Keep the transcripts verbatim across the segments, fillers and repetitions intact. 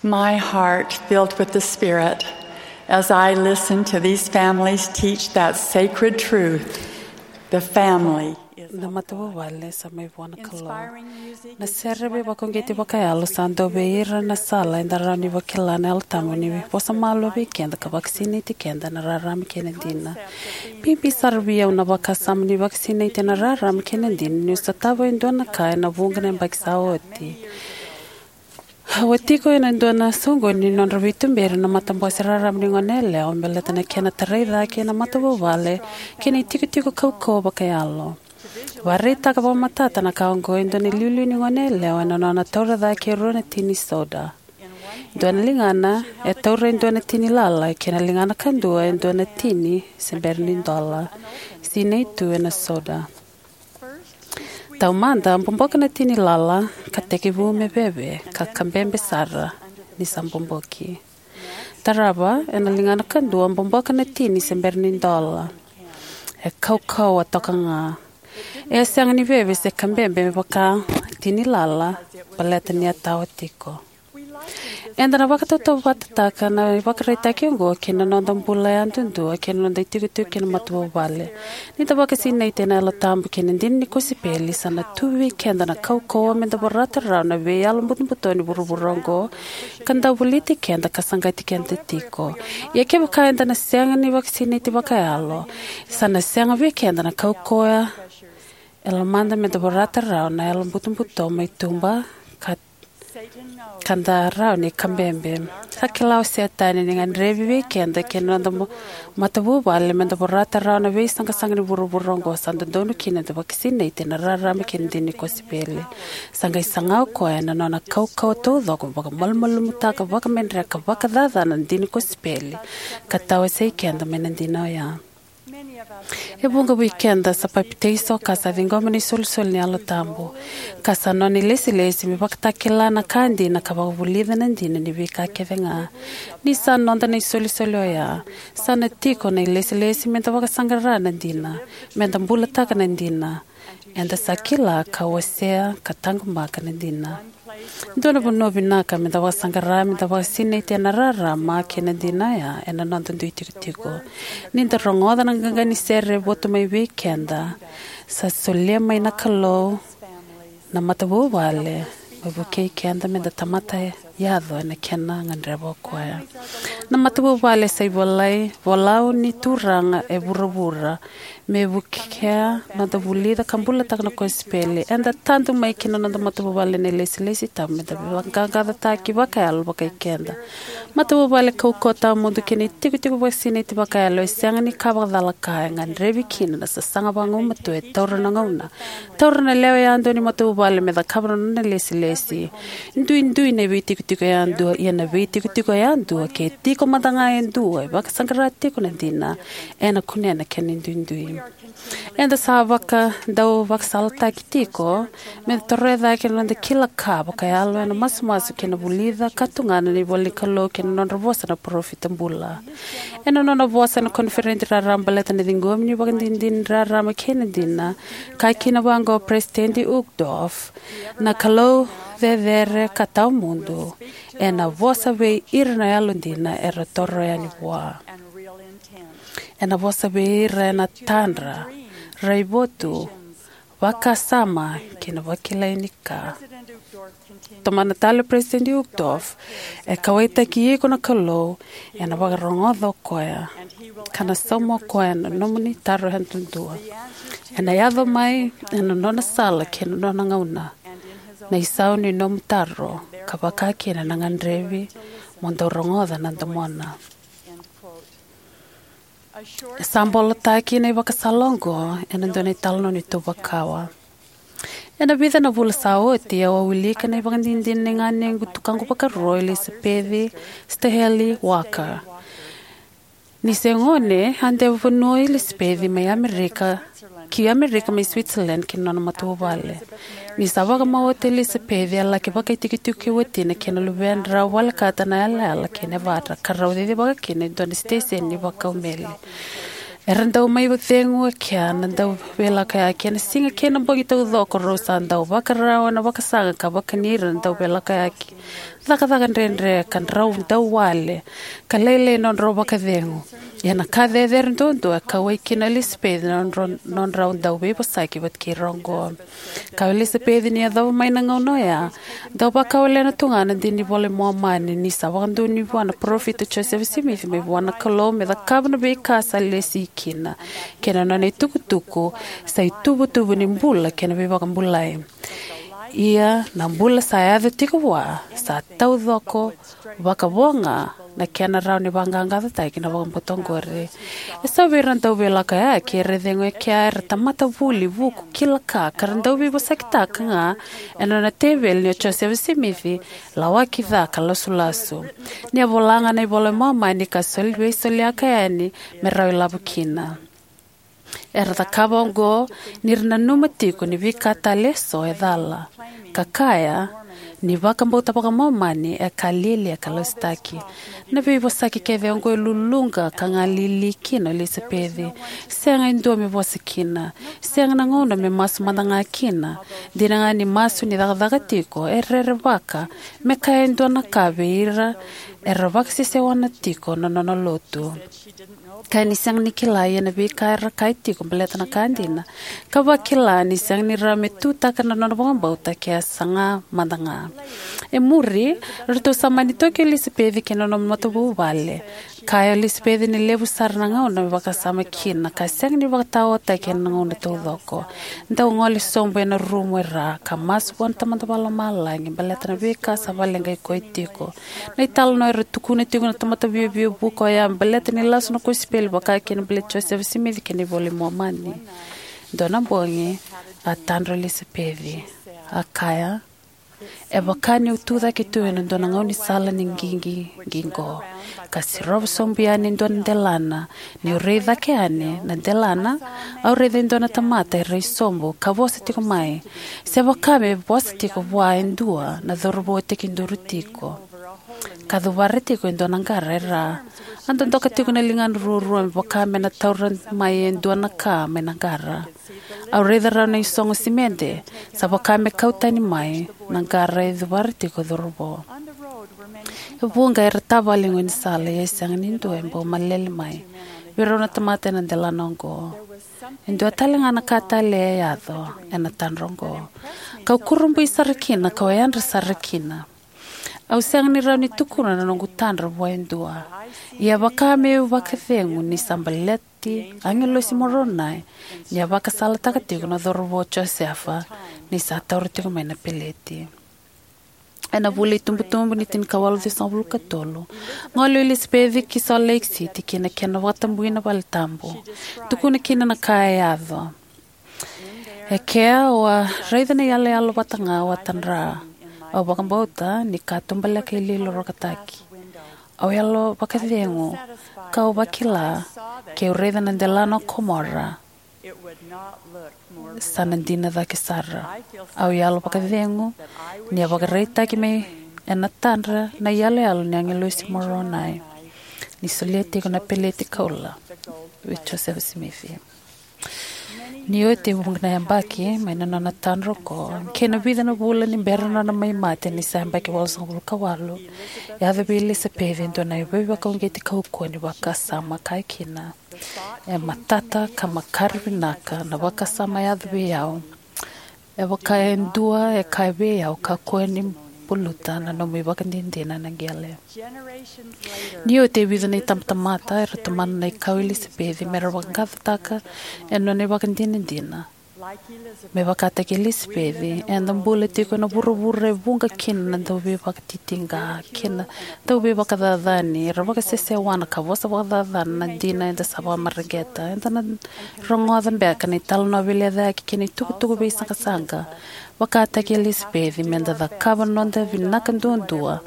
My heart filled with the Spirit as I listen to these families teach that sacred truth. The family is Na matavuvale sa mai vua na Kalou. Inspiring music Na is sere what veivakauqeti evangelists vakayalo sa dau vei ira na sala eda rawa ni vakila na Yalo Tabu ni vosa malua vei keda ka vakasinaiti keda na rarama kei na dina. Bibi sara vei au na vakasama ni vakasinaiti ena rarama kei na dina niu sotava e dua na ka ena vuqa na yabaki sa oti. Au a tiko ena dua na soqoni ni nodra veituberi na matabose raraba ni goneyalewa baleta na kena tarai cake na matavuvale kei na itikotiko kaukauwa vakayalo. Vakaraitaka vakamatata na ka oqo e dua na iliuliu ni goneyalewa ena nona taura cake e rua na tini soda. Dua na ligana e taura e dua na tini lala kei na ligana kadua e dua na tini se bera ni dola. Sinai tu ena soda. Taumada, boboka na tini lala ka tekivu me veve ka kabebe sara ni sa boboki. Tarava, ena ligana kadua, boboka na tini se bera ni dola. E kaukauwa toka ga. E sega ni veve se kabebe me vaka tini lala baleta ni a tawa tiko. Eda na vakatautauvatataka na ivakaraitaki oqo kei na noda bula yadudua kei na noda itikotiko kei na matavuvale. Ni da vakasinaiti ena Yalo Tabu kei na dina ni kosipeli, sa na tu vei keda na kaukauwa meda vorata rawa na veiyalo butobuto ni vuravura oqo ka dau voliti keda ka saqati keda tiko. Ia kevaka eda na sega ni vakasinaiti vakayalo, sa na sega vei keda na kaukauwa e lomada meda vorata rawa na yalo butobuto mai tuba ka, ka da rawa ni kabebe. Sa kila o Setani ni gadrevi vei keda kei na noda mo-, matavuvale meda vorata rawa na veisaqasaqa ni vuravura oqo. Sa dodonu kina da vakasinaiti ena rarama kei na dina ni kosipeli. Sa qai saga o koya ena nona kaukauwa taucoko vakamalumalumutaka, vakamedreka, vakacacana na dina ni kosipeli ka tawasei keda mai na dina oya. E vuqa vei keda sa papitaiso ka sa ciqoma na isolisoli ni Yalo Tabu, ka sa nona ilesilesi me vakatakila na ka dina ka vakavulica na dina ni veika kece ga. Ni sa noda na isolisoli oya, sa na tiko na ilesilesi meda vakasaqara na dina, meda bulataka na dina. Eda sa kila ka wasea ka taqomaka na dina. Dua na vanua vinaka meda vakasaqara meda vakasinaiti ena rarama kei na dina oya ena noda dui tikotiko. Ni da rogoca na qaqa ni sere e votu mai vei keda, sa solia mai na Kalou na matavuvale me vukei keda meda tamata yaco ena kena gadreva o koya. Na matavuvale sa ivolai, volau ni Turaga e vuravura me vukea noda vulica ka bulataka na kosipeli. Eda tadu mai ki na noda matavuvale na ilesilesi tabu meda vaqaqacotaki vakayalo vakai keda. Matavuvale kaukauwa tawamudu kei na itikotiko vakasinaiti vakayalo e sega ni ka vakacalaka, e gadrevi kina na sasaga vagumatua e taura na gauna, taura na lewe yadua ni matavuvale me cakava na nona ilesilesi. Duidui na veitikotiko yadua, ia na veitikotiko yadua ke tiko mada ga e dua e vakasaqara tiko na dina, ena kunea na kena duidui. Eda sa vaka, dau vakasalataki tiko meda toroya cake na noda kila ka vakayalo ena masumasu kei na vulica ka tugana na ivola ni Kalou kei na nodra vosa na parofita bula. Ena nona vosa ena koniferedi raraba baleta na ciqomi ni ivakadinadina ni rarama kei na dina, kaya kina vaqo o Peresitedi Uchtdorf: Na Kalou cecere ka tawamudu ena vosa vei ira na yalodina era toro yani vua. Ena vosa vei ira ena tadra, raivotu, vakasama kei na vakilai ni ka. Tomana tale o Peresitedi Uchtdorf: E kauwaitaki iko na Kalou, ena vakarogoca o koya, ka na sauma o koya na nomuni taro yadudua. Ena yaco mai ena nona sala kei na nona gauna na isau ni nomu taro, ka vaka kina na gadrevi mo dau rogoca na domona. E sa bolotaki na ivakasala oqo ena dua na italanoa ni tuva kawa. Ena vica na vula sa oti, au a wilika na ivakadinadina ni ganequ tukaqu vakarua o Elisapeci Staheli Walker. Ni se gone, a dewa vanua o Elisapeci mai Amerika, ki Amerika mai Switzerland kei na nona matavuvale. Ni sa vakamau oti o Elisapeci, a laki vakaitikotiko kei watina kei na luvedrau volekata na yalayala kei Nevada, ka rau cicivaka kina e dua na siteseni ni vakau meli. Era dau mai vakacegu e kea na dauveilakoyaki ena siga kei na bogi taucoko. Rau sa dau vakarau ena vakasaqa ka vakani ira na dauveilakoyaki, cakacaka dredre, ka drau dau wale, ka lailai nodrau vakacegu. Ia na ka cecere duadua e kauwai kina o Elisapeci na nodra, nodrau dau veivosaki vata kei ira oqo. Ka o Elisapeci ni yacova mai na gauna oya, dau vakawalena tu ga na dina ni iVola i Momani, ni sa vakadonui vua na parofita o Josefa Simici mai vua na Kalou me cakava na veika sa lesi kina, kei na nona itukutuku sa ituvatuva ni bula kei na veivakabulai. Ia na bula sa yaco tiko vua sa taucoko vakavo ga na kena rawa ni vaqaqacotaki na vakabauta oqori. E so vei ira na dauveilakoyaki era cegu e kea era tamata vuli, vuku, kila ka, ka ra dau veivosakitaka ga ena nona teveli ni o Josefa Simici lawaki ca ka lasulasu. Ni a vola ga na iVola i Momani ka soli, veisoliyaka yani me rawa ilavo kina. Era cakava oqo ni ra nanuma tiko ni veika tale e so e cala, ka kaya ni vakabauta vakaMomani e ka lialia ka lasutaki. Na veivosaki kece oqo e luluqa ka galili kina o Elisapeci. Sega e dua me vosa kina. Sega na gauna me masu mada ga kina. Dina ga ni masu ni cakacaka tiko, e rerevaka me kaya e dua na ka vei ira era vakasesewana tiko na nona lotu. Kaya ni sega ni kila ia na veika era kaya tiko baleta na ka dina, ka vakila ni sega ni rawa me tutaka na nona vakabauta ke a saga mada ga. E muri, ratou sa mani toki o Elisapeci kei na nona matavuvale. Kaya o Elisapeci ni levu sara na gauna me vakasama kina, ka sega ni vakataotaki ena gauna taucoko. Dau gole sobu ena rumu e ra ka masu vua na Tamada Vakalomalagi baleta na veika sa vakaleqai koya tiko. Na italanoa era tukuna tiko na tamata viavia vuku oya me baleta ni lasu na kosipeli, vaka kina baleti Josefa Simici kei na iVola i Momani. Dua na bogi, a tadra o Elisapeci. A kaya, e vaka niu tucake tu ena dua na gaunisala ni qiqi qiqo, ka sirova sobu yani e dua na delana. Niu rai cake yani na delana, au raica e dua na tamata e rai sobu ka vosa tiko mai, se vaka me vosa tiko vua e dua na cauravou e tekiduru tiko, ka cuvara tiko e dua na qara e ra. A dodoka tiko na ligana ruarua me vaka me na taura mai e dua na ka mai na qara. Au raica rawa na isogo simede, sa vaka me kau tani mai na qara e cuvara tiko o cauravou. E vuqa era tavale e gaunisala, ia e sega ni dua e bau malele mai vei rau na tamata ena delana oqo. E dua tale ga na ka tale e yaco ena tadra oqo. Kau kurabui sara kina, kau yadra sara kina. Au sega ni rawa ni tukuna na noqu tadra vua e dua. Ia vaka meu vakacegu ni sa baleti agilosi Moronai ni a vakasalataka tiko na cauravou o Josefa ni sa taura tiko mai na peleti. Ena vula itubutubu ni tinikawalu ciwasagavulu ka tolu, gole o Elisapeci ki Salt Lake City ki na kena vakatabui na vale tabu. Tukuna kina na ka e yaco. E kea au a raica na iyaloyalo vata ga au a tadra. Au vakabauta ni katubaleka iloilo rokataki. Au yalo vakacegu, kau vakila, keu raica na delana o Komora, sa na dina cake sara. Au yalo vakacegu ni a vakaraitaki mai ena tadra na iyaloyalo ni agilosi Moronai ni solia tiko na peleti koula vei Josefa Simici. Ni oti e vuqa na yabaki mai na nona tadra oqo kei na vica na vula ni bera na nona mai mate ni sa yabaki walusagavulu ka walu, e yaco vei Elisapeci e dua na veivakauqeti kaukauwa ni vakasama, kaya kina, e matata ka makare vinaka na vakasama e yaco vei au. E vaka e dua e kaya vei au, kakua ni buluta na nomu ivakadinadina ena qele. Ni oti e vica na itabatamata era tomana na ikau i Elisapeci me ra vaqaqacotaka e nona ivakadinadina. Me vakataki Elisapeci, eda bula tiko ena vuravura e vuqa kina na dauveivakatitiqa kei na dauveivakacacani. Era vakasesewana ka vosa vakacacana na dina eda sa vakamareqeta. Eda na rogoca beka na italanoa veilecayaki kei na itukutuku veisaqasaqa. Vakataki Elisapeci, meda cakava na noda vinaka duadua,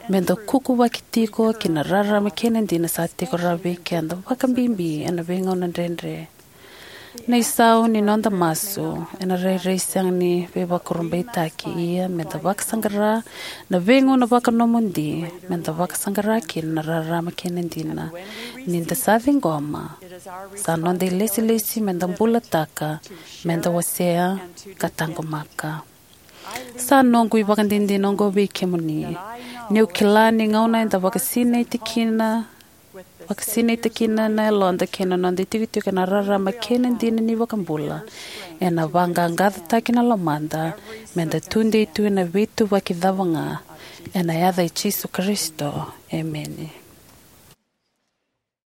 meda kukuvaki tiko ki na rarama kei na dina sa tiko rawa vei keda, vakabibi ena veigauna dredre. Na isau ni noda masu ena rairai sega ni veivakurabuitaki, ia meda vakasaqara na veigauna vakanomodi meda vakasaqara kina na rarama kei na dina. Ni da sa ciqoma, sa noda ilesilesi meda bulataka, meda wasea, ka taqomaka. Sa noqu ivakadinadina oqo vei kemuni, niu kila ni gauna eda vakasinaiti kina vakasinaita kina na yaloda kei na noda itikotiko ena rarama kei na dina ni iVakabula, ena vaqaqacotaki na lomada meda tudei tu ena veituvaki cava ga. Ena yaca i Jisu Karisito, emeni.